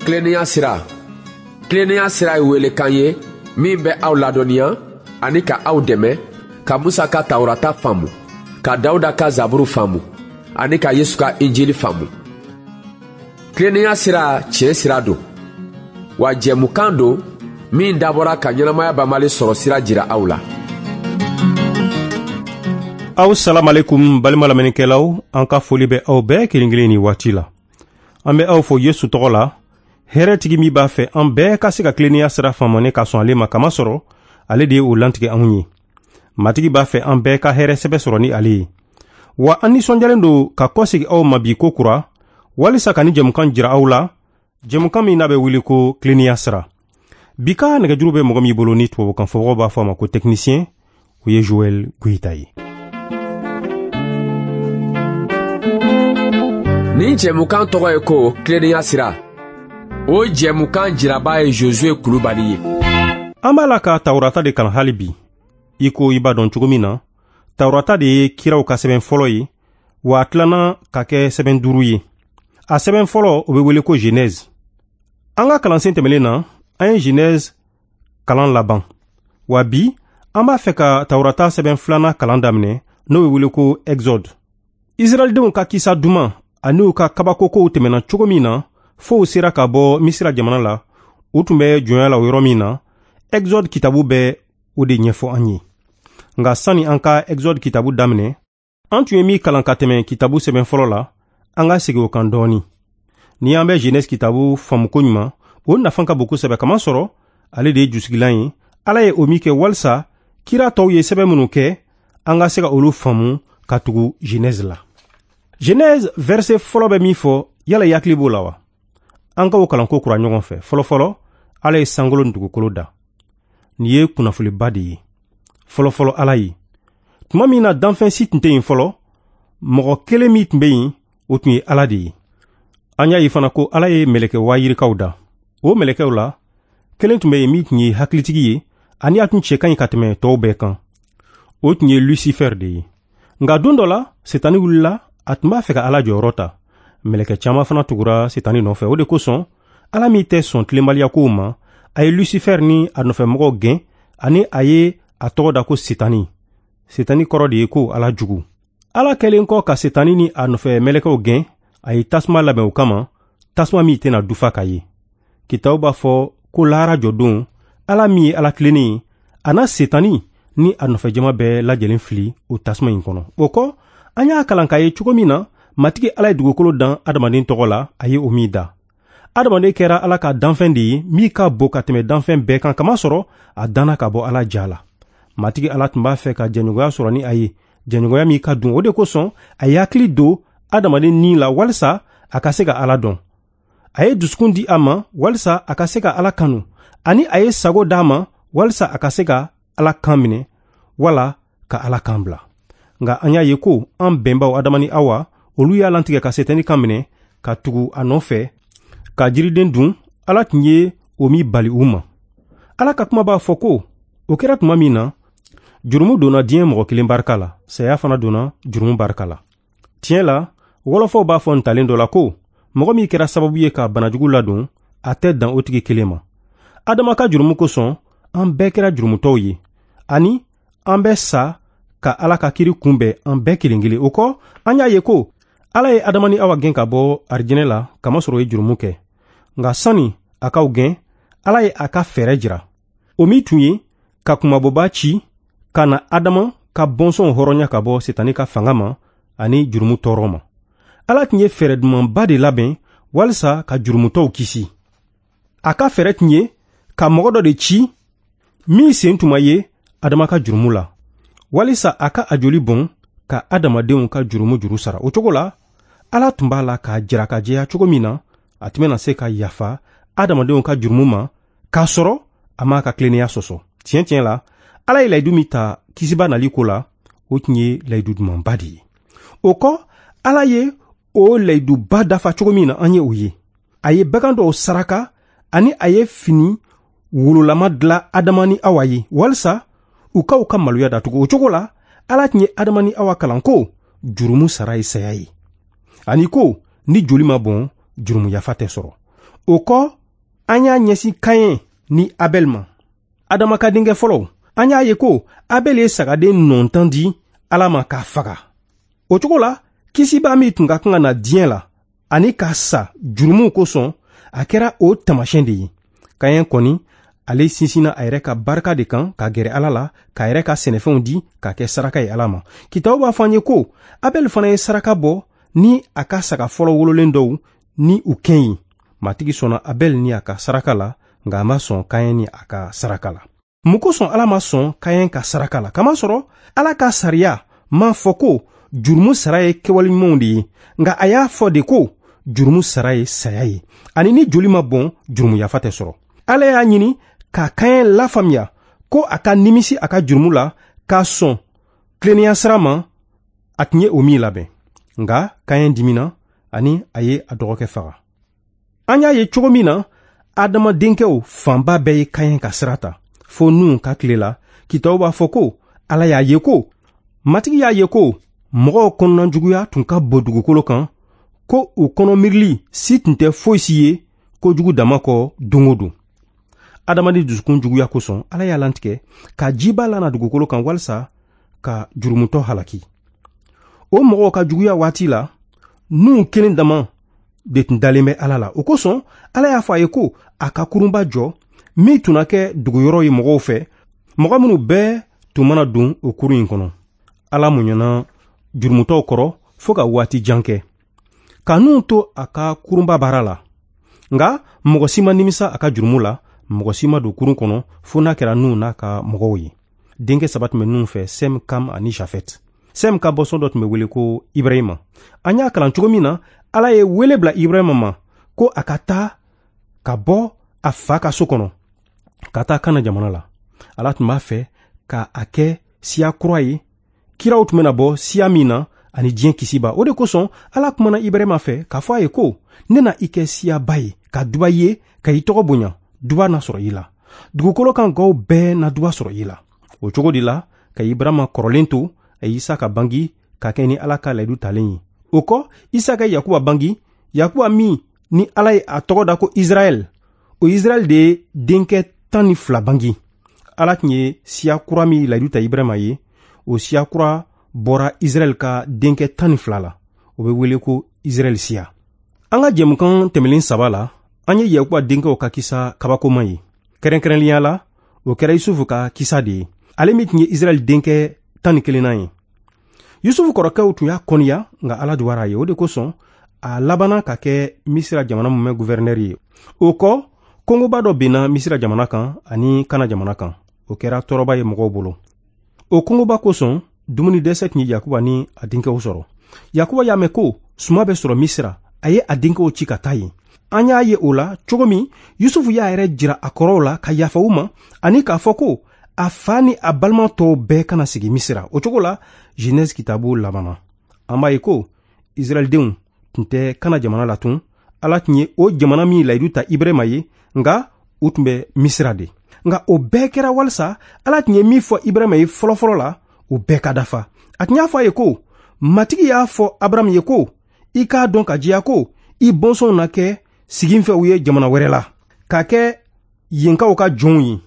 Tilennenya sira. Tilennenya sira ye welekan ye min bɛ aw ladɔnniya ani ka aw dɛmɛ ka Musa ka Tawurata faamu, ka Dawuda ka Zaburu faamu ani ka Yesu ka Injili faamu. Tilennenya sira tiɲɛ sira don, wa jɛmukan don min dabɔra ka ɲɛnamaya banbali sɔrɔ sira jira aw la. Aw salamalekum balima lamɛnnikɛlaw, an ka foli bɛ aw bɛɛ kelen kelen ni waati la. An bɛ aw fo Yesu tɔgɔ la, hɛrɛtigi min b'a fɛ an bɛɛ ka se ka tilennenya sira faamu ni ka sɔn ale ma, kamasɔrɔ ale de ye o lantigɛ anw ye. Matigi b'a fɛ an bɛɛ ka hɛrɛ sɛbɛ sɔrɔ ni ale ye. Wa an nisɔndiyalen don ka kɔsegi aw ma bi ko kura, walisa ka ni jɛmukan jira aw la, jɛmukan min n'a bɛ wele ko tilennenya sira. Bi ka nɛgɛjuru bɛ mɔgɔ min bolo ni tubabukan fɔbagaw b'a fɔ a ma ko technicien, o ye Joël Goyita ye. Nin jɛmukan tɔgɔ ye ko tilennenya sira. O jɛmukan jiraba ye Josue Kulubali ye. An b'a la ka Tawurata de kalan hali bi. I ko i b'a dɔn cogo min na, Tawurata de ye kiraw ka sɛbɛn fɔlɔ ye, wa a tilanna ka kɛ sɛbɛn 5 ye. A sɛbɛn fɔlɔ, o bɛ wele ko Genèse. An ka kalansen tɛmɛnen na, an ye Genèse kalan laban. Wa bi, an b'a fɛ ka Tawurata sɛbɛn filanan kalan daminɛ, n'o bɛ wele ko Exode. Israɛldenw ka kisa duman ani u ka kabakokow tɛmɛna cogo min na, fo u sera ka bɔ Misira jamana la, u tun bɛ jɔnya la o yɔrɔ min na, Exode kitabu bɛ o de ɲɛfɔ an ye. Nka sani an ka Exode kitabu daminɛ, an tun ye min kalan ka tɛmɛ kitabu sɛbɛn fɔlɔ la, an ka segin o kan dɔɔni. Ni an bɛ Genèse kitabu faamu ko ɲuman, o nafa ka bon kosɛbɛ, kamasɔrɔ ale de ye jusigilan ye. Ala ye o min kɛ walisa kira tɔw ye sɛbɛn minnu kɛ, an ka se ka olu faamu ka tugu Genèse la. Genèse verset fɔlɔ bɛ min fɔ, yala i hakili b'o la wa? An ka o kalanko kura ɲɔgɔn fɛ. Fɔlɔfɔlɔ, Ala ye sankolo ni dugukolo da. Nin ye kunnafoniba de ye. Fɔlɔfɔlɔ Ala ye. Tuma min na danfɛn si tun tɛ yen fɔlɔ, mɔgɔ kelen min tun bɛ yen, o tun ye Ala de ye. An y'a ye fana ko Ala ye mɛlɛkɛ waayirikaw da. O mɛlɛkɛw la, kelen tun bɛ yen min tun ye hakilitigi ye, ani a tun cɛ ka ɲi ka tɛmɛ tɔw bɛɛ kan. O tun ye Lucifer de ye. Nka don dɔ la, Setani wulila, a tun b'a fɛ ka Ala jɔyɔrɔ ta. Mɛlɛkɛ caman fana tugura Setani nɔfɛ. O de kosɔn, Ala min tɛ sɔn tilenbaliya kow ma, a ye Lucifer ni a nɔfɛmɔgɔw gɛn, ani a ye a tɔgɔ da ko Setani. Setani kɔrɔ de ye ko Ala jugu. Ala kɛlen kɔ ka Setani ni a nɔfɛ mɛlɛkɛw gɛn, a ye tasuma labɛn o kama, tasuma min tɛna dufa ka ye. Kitabu b'a fɔ ko lahara jɔdon, Ala min ye Ala tilennen ye, a na Setani ni a nɔfɛjama bɛɛ lajɛlen fili o tasuma in kɔnɔ. O kɔ, an y'a kalan k'a ye cogo min na, Matigi Ala ye dugukolo dan adamaden tɔgɔ la, a ye o min da. Adamaden kɛra Ala ka danfɛn de ye min ka bon ka tɛmɛ danfɛn bɛɛ kan, kamasɔrɔ a danna ka bɔ Ala ja la. Matigi Ala tun b'a fɛ ka jɛɲɔgɔnya sɔrɔ ni a ye, jɛɲɔgɔnya min ka dun. O de kosɔn, a ye hakili don adamaden ni la walisa a ka se ka Ala dɔn. A ye dusukun di a ma walisa a ka se ka Ala kanu, ani a ye sago d'a ma walisa a ka se ka Ala kan minɛ wala ka Ala kan bila. Nka an y'a ye ko an bɛnbaw Adama ni Awa, olu y'a lantigɛ ka Setani kan minɛ ka tugu a nɔfɛ ka jiriden dun, Ala tun ye o min bali u ma. Ala ka kuma b'a fɔ ko o kɛra tuma min na, jurumu donna diɲɛ mɔgɔ kelen barika la, saya fana donna jurumu barika la. Tiɲɛ la, wɔlɔfɔw b'a fɔ ntalen dɔ la ko mɔgɔ min kɛra sababu ye ka banajugu ladon, a tɛ dan o tigi kelen ma. Adama ka jurumu kosɔn, an bɛɛ kɛra jurumutɔw ye, ani an bɛ sa ka Ala ka kiri kunbɛn an bɛɛ kelen kelen. O kɔ, an y'a ye ko Ala ye Adama ni Awa gɛn ka bɔ arijinɛ la, kamasɔrɔ o ye jurumu kɛ. Nka sani a k'aw gɛn, Ala ye a ka fɛɛrɛ jira. O min tun ye ka kunmabɔba ci ka na Adama ka bɔnsɔnw hɔrɔnya ka bɔ Setani ka fanga ma ani jurumu tɔɔrɔ ma. Ala tun ye fɛɛrɛ dumanba de labɛn walisa ka jurumutɔw kisi. A ka fɛɛrɛ tun ye ka mɔgɔ dɔ de ci min sen tun ma ye Adama ka jurumu la, walisa a ka a joli bɔn ka adamadenw ka jurumu juru sara. O cogo la, Ala tun b'a la k'a jira ka jɛya cogo min na, a tun bɛna se ka yafa adamadenw ka jurumu ma k'a sɔrɔ a m'a ka tilennenya sɔsɔ. Tiɲɛ tiɲɛ la, Ala ye layidu min ta kisiba nali ko la, o tun ye layidu dumanba de ye. O kɔ, Ala ye o layiduba dafa cogo min na, an ye o ye. A ye bagan dɔw saraka ani a ye fini wololama dilan Adama ni Awa ye walisa u ka u ka maloya datugu. O cogo la, Ala tun ye Adama ni Awa kalan ko jurumu sara ye saya ye, ani ko ni joli ma bɔn, jurumu yafa tɛ sɔrɔ. O kɔ, an y'a ɲɛsin Kayɛn ni Abɛl ma, Adama ka denkɛ fɔlɔw. An y'a ye ko Abɛl ye sagaden nɔntan di Ala ma k'a faga. O cogo la, kisibaa min tun ka kan ka na diɲɛ la ani ka sa jurumuw kosɔn, a kɛra o taamasiyɛn de ye. Kayɛn kɔni, ale sinsinna a yɛrɛ ka barika de kan ka gɛrɛ Ala la, k'a yɛrɛ ka sɛnɛfɛnw di k'a kɛ saraka ye Ala ma. Kitabu b'a fɔ an ye ko Abɛl fana ye saraka bɔ ni a ka saga fɔlɔ wololen dɔw ni u kɛn ye. Matigi sɔnna Abɛl ni a ka saraka la, nka a ma sɔn Kayɛn ni a ka saraka la. Mun kosɔn Ala ma sɔn Kayɛn ka saraka la? Kamasɔrɔ Ala ka sariya m'a fɔ ko jurumu sara ye kɛwale ɲumanw de ye, nka a y'a fɔ de ko jurumu sara ye saya ye, ani ni joli ma bɔn, jurumu yafa tɛ sɔrɔ. Ala y'a ɲini ka Kayɛn lafaamuya ko a ka nimisi a ka jurumu la k'a sɔn tilennenya sira ma, a tun ye o min labɛn. Nka Kayɛn dimina ani a ye a dɔgɔkɛ faga. An y'a ye cogo min na, Adama denkɛw fanba bɛɛ ye Kayɛn ka sira ta fo Nuhun ka tile la. Kitabu b'a fɔ ko Ala y'a ye ko Matigi y'a ye ko mɔgɔw kɔnɔnajuguya tun ka bon dugukolo kan, ko u kɔnɔ miirili si tun tɛ foyi si ye kojugu dama kɔ don o don. Adamaden dusukun juguya kosɔn, Ala y'a lantigɛ ka jiba lana dugukolo kan walisa ka jurumutɔ halaki. O mɔgɔw ka juguya waati la, Nuhun kelen dama de tun dalen bɛ Ala la. O kosɔn, Ala y'a fɔ a ye ko a ka kurunba jɔ min tun na kɛ duguyɔrɔ ye mɔgɔw fɛ, mɔgɔ minnu bɛɛ tun mana don o kurun in kɔnɔ. Ala muɲana jurumutɔw kɔrɔ fo ka waati jan kɛ, ka Nuhun to a ka kurunba baara la. Nka mɔgɔ si ma nimisa a ka jurumu la, mɔgɔ si ma don kurun kɔnɔ fo n'a kɛra Nuhun n'a ka mɔgɔw ye. Denkɛ saba tun bɛ Nuhun fɛ, Sɛm, Kam ani Jafɛt. Sɛm ka bɔsɔn dɔ tun bɛ wele ko Ibrahima. An y'a kalan cogo min na, Ala ye wele bila Ibrahima ma ko a ka taa ka bɔ a fa ka so kɔnɔ ka taa Kana jamana la. Ala tun b'a fɛ ka a kɛ siya kura ye, kiraw tun bɛna bɔ siya min na ani diɲɛ kisiba. O de kosɔn Ala kumana Ibrahima fɛ k'a fɔ a ye ko ne na i kɛ siyaba ye, ka duba ye, ka i tɔgɔ bonya, duba na sɔrɔ i la. Dugukolo kan gaw bɛɛ na duba sɔrɔ i la. O cogo de la, ka Ibrahima kɔrɔlen to, a ye Isaka bangi ka kɛ ni Ala ka layidu talen ye. O kɔ, Isaka ye Yakuba bangi, Yakuba min ni Ala ye a tɔgɔ da ko Israɛl. O Israɛl de ye denkɛ 12 bangi. Ala tun ye siya kura min layidu ta Ibrahima ye, o siya kura bɔra Israɛl ka denkɛ 12 la. O bɛ wele ko Israɛl siya. An ka jɛmukan tɛmɛlen saba la, an ye Yakuba denkɛw ka kisa kabakoma ye. Kɛrɛnkɛrɛnnenya la, o kɛra Yusufu ka kisa de ye, ale min tun ye Israɛl denkɛ 11nan ye. Yusufu kɔrɔkɛw tun y'a kɔniya, nka Ala duwara a ye. O de kosɔn a labanna ka kɛ Misira jamana mumɛ guvɛrɛnɛri ye. O kɔ, kɔngɔba dɔ binna Misira jamana kan ani Kana jamana kan. O kɛra tɔɔrɔba ye mɔgɔw bolo. O kɔngɔba kosɔn, dumuni dɛsɛ tun ye Yakuba ni a denkɛw sɔrɔ. Yakuba y'a mɛn ko suma bɛ sɔrɔ Misira, a ye a denkɛw ci ka taa yen. An y'a ye o la cogo min, Yusufu y'a yɛrɛ jira a kɔrɔw la ka yafa u ma ani k'a fɔ ko a fa ni a balima tɔw bɛɛ kana sigi Misira. O cogo la, Genèse kitabu labanna. An b'a ye ko Israɛldenw tun tɛ Kana jamana la tun. Ala tun ye o jamana min layidu ta Ibrahima ye, nka u tun bɛ Misira de. Nka o bɛɛ kɛra walisa Ala tun ye min fɔ Ibrahima ye fɔlɔfɔlɔ la, o bɛɛ ka dafa. A tun y'a fɔ a ye ko Matigi y'a fɔ Abrahamu ye ko i k'a dɔn ka diya ko i bɔnsɔnw na kɛ siginfɛw ye jamana wɛrɛ la, k'a kɛ yenkaw ka jɔnw ye.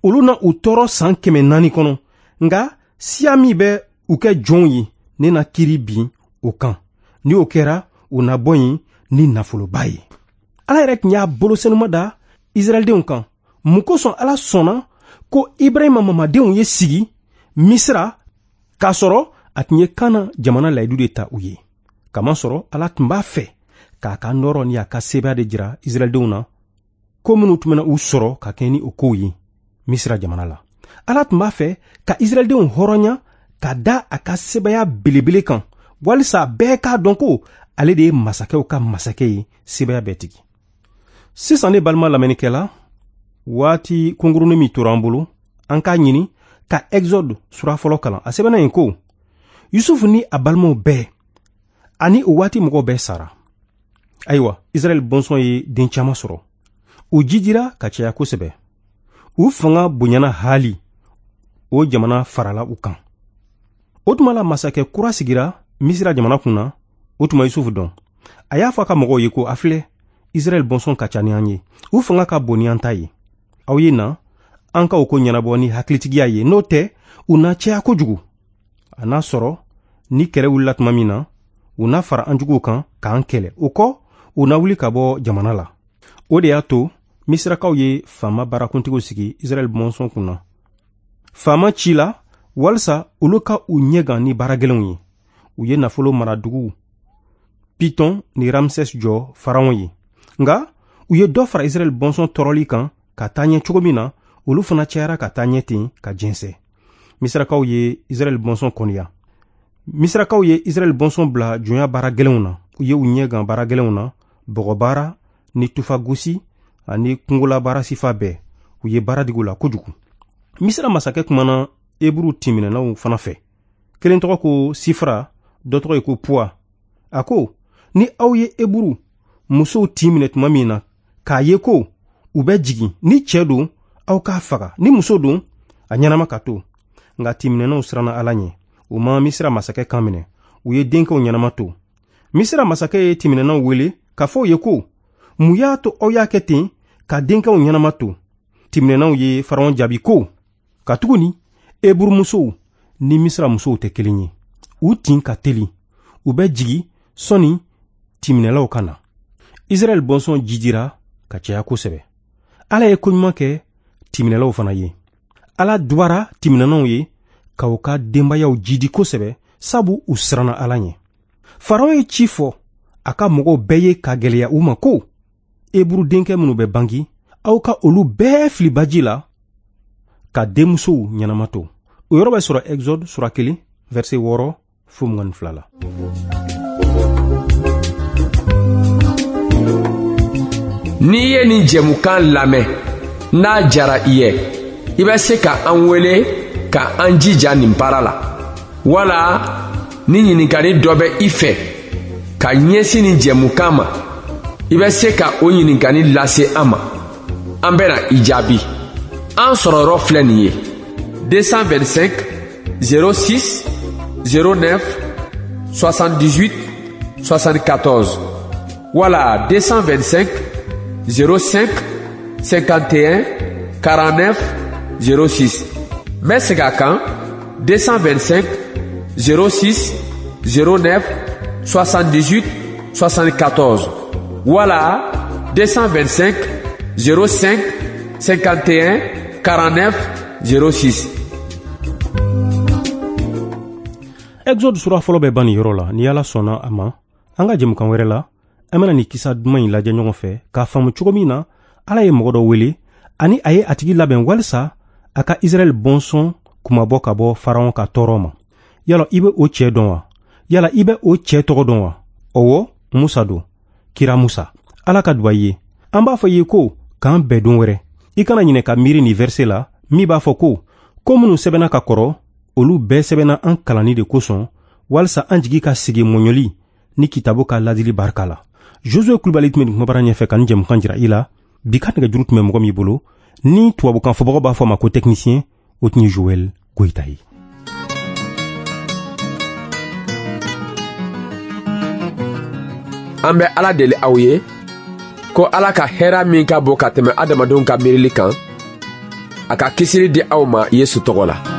Olu na u tɔɔrɔ san 400 kɔnɔ, nka siya min bɛ u kɛ jɔnw ye, ne na kiiri bin o kan. Ni o kɛra, u na bɔ yen ni nafoloba ye. Ala yɛrɛ tun y'a bolo senuma da Israɛldenw kan. Mun kosɔn Ala sɔnna ko Ibrahima mamadenw ye sigi Misira k'a sɔrɔ a tun ye Kana jamana layidu de ta u ye? Kamasɔrɔ Ala tun b'a fɛ k'a ka nɔrɔ ni a ka sebaaya de jira Israɛldenw na, ko minnu tun bɛna u sɔrɔ ka kɛ ni o kow ye Misira jamana la. Ala tun b'a fɛ ka Israɛldenw hɔrɔnya ka da a ka sebaaya belebele kan, walisa bɛɛ k'a dɔn ko ale de ye masakɛw ka masakɛ ye, sebaaya bɛɛ tigi. Sisan ne balima lamɛnnikɛla, waati kunkurunin min tora an bolo, an k'a ɲini ka Exode sura fɔlɔ kalan. A sɛbɛnna yen ko Yusufu ni a balimaw bɛɛ ani o waati mɔgɔw bɛɛ sara. Ayiwa, Israɛl bɔnsɔn ye den caman sɔrɔ. U jidira ka caya kosɛbɛ. U fanga bonyana haali, o jamana farala u kan. O tuma la masakɛ kura sigira Misira jamana kun na, o tuma Yusufu dɔn. A y'a fɔ a ka mɔgɔw ye ko a filɛ, Israɛl bɔnsɔn ka ca ni an ye, u fanga ka bon ni an ta ye. Aw ye na, an ka o ko ɲɛnabɔ ni hakilitigiya ye, n'o tɛ u na caya kojugu. A n'a sɔrɔ ni kɛlɛ wulila tuma min na, u na fara an juguw kan k'an kɛlɛ. O kɔ, u na wuli ka bɔ jamana la. O de y'a to Misirakaw ye faama baarakuntigiw sigi Israɛl bɔnsɔn kunna. Faama ci la walisa olu ka u ɲɛgan ni baara gɛlɛnw ye. U ye nafolo maraduguw Piton ni Ramses jɔ Faraon ye. Nka u ye dɔ fara Israɛl bɔnsɔn tɔɔrɔli kan ka taa ɲɛ cogo min na, olu fana cayara ka taa ɲɛ ten ka jɛnsɛn. Misirakaw ye Israɛl bɔnsɔn kɔniya. Misirakaw ye Israɛl bɔnsɔn bila jɔnya baara gɛlɛnw na. U ye u ɲɛgan baara gɛlɛnw na, bɔgɔbaara ni tufagosi ani kungolabaara sifa bɛɛ. U ye baara digi u la kojugu. Misira masakɛ kumana Eburu tinminɛnaw fana fɛ. Kelen tɔgɔ ko Sifra, dɔ tɔgɔ ye ko Puwa. A ko, ni aw ye Eburu musow tin minɛ tuma min na, k'a ye ko u bɛ jigin, ni cɛ don, aw k'a faga, ni muso don, a ɲɛnama ka to. Nka tinminɛnaw siranna Ala ɲɛ. U ma Misira masakɛ kan minɛ. U ye denkɛw ɲɛnama to. Misira masakɛ ye tinminɛnaw wele k'a fɔ u ye ko, mun y'a to aw y'a kɛ ten ka denkɛw ɲɛnama to? Tinminɛnaw ye Faraon jaabi ko, katuguni Eburumusow ni Misira musow tɛ kelen ye. U tin ka teli, u bɛ jigi sɔnni tinminɛlaw ka na. Israɛl bɔnsɔn jidira ka caya kosɛbɛ. Ala ye koɲuman kɛ tinminɛlaw fana ye. Ala duwara tinminɛnaw ye ka u ka denbayaw jidi kosɛbɛ, sabu u siranna Ala ɲɛ. Faraon ye ci fɔ a ka mɔgɔw bɛɛ ye ka gɛlɛya u ma ko, Eburu denkɛ minnu bɛ bangi, aw ka olu bɛɛ fili baji la ka denmusow ɲɛnama to. O yɔrɔ bɛ sɔrɔ Exode sura 1, verset 6 fo 22 la. N'i ye nin jɛmukan lamɛn, n'a jara i ye, i bɛ se ka an wele ka an jija nin baara la. Wala ni ɲininkali dɔ bɛ i fɛ ka ɲɛsin nin jɛmukan ma, i bɛ se ka o ɲininkali lase an ma. An bɛna i jaabi. An sɔrɔ yɔrɔ filɛ nin ye: 225 06 09 78 74 wala 225 05 51 49 06. N bɛ segin a kan: 225 06 09 78 74 wala 225 05 51 49 06. Exode sura fɔlɔ bɛ ban nin yɔrɔ la. Ni Ala sɔnna a ma, an ka jɛmukan wɛrɛ la, an bɛna nin kisa duman in lajɛ ɲɔgɔn fɛ k'a faamu cogo min na Ala ye mɔgɔ dɔ wele ani a ye a tigi labɛn walisa a ka Israɛl bɔnsɔn kumabɔ ka bɔ Faraon ka tɔɔrɔ ma. Yala i bɛ o cɛ dɔn wa? Yala i bɛ o cɛ tɔgɔ dɔn wa? Ɔwɔ, Musa don, kira Musa. Ala ka duba i ye. An b'a fɔ i ye ko k'an bɛn don wɛrɛ. I kana ɲinɛ ka miiri nin verset la min b'a fɔ ko ko minnu sɛbɛnna ka kɔrɔ, olu bɛɛ sɛbɛnna an kalanni de kosɔn, walisa an jigi ka sigi mɔɲɔli ni kitabu ka ladili barika la. Josué Kulibali tun bɛ nin kumabara ɲɛfɛ ka nin jɛmukan jira i la. Bi ka nɛgɛjuru tun bɛ mɔgɔ min bolo, ni tubabukan fɔbagaw b'a fɔ a ma ko technicien, o tun ye Joël Goyita ye. An bɛ Ala deli aw ye ko Ala ka hɛrɛ min ka bon ka tɛmɛ adamadenw ka miirili kan, a ka kisili di aw ma Yesu tɔgɔ la.